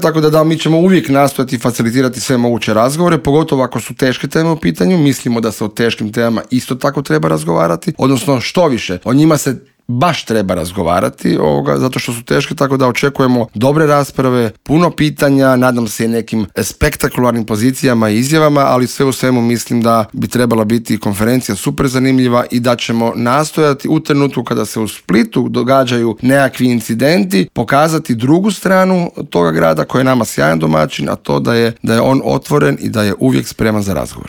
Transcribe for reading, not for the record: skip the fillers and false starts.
Tako da mi ćemo uvijek nastojati facilitirati sve moguće razgovore, pogotovo ako su teške teme u pitanju. Mislimo da se o teškim temama isto tako treba razgovarati, odnosno što više, o njima se baš treba razgovarati zato što su teške, tako da očekujemo dobre rasprave, puno pitanja, nadam se i nekim spektakularnim pozicijama i izjavama, ali sve u svemu mislim da bi trebala biti konferencija super zanimljiva i da ćemo nastojati u trenutku kada se u Splitu događaju nekakvi incidenti pokazati drugu stranu toga grada koji je nama sjajan domaćin, a to da je on otvoren i da je uvijek spreman za razgovor.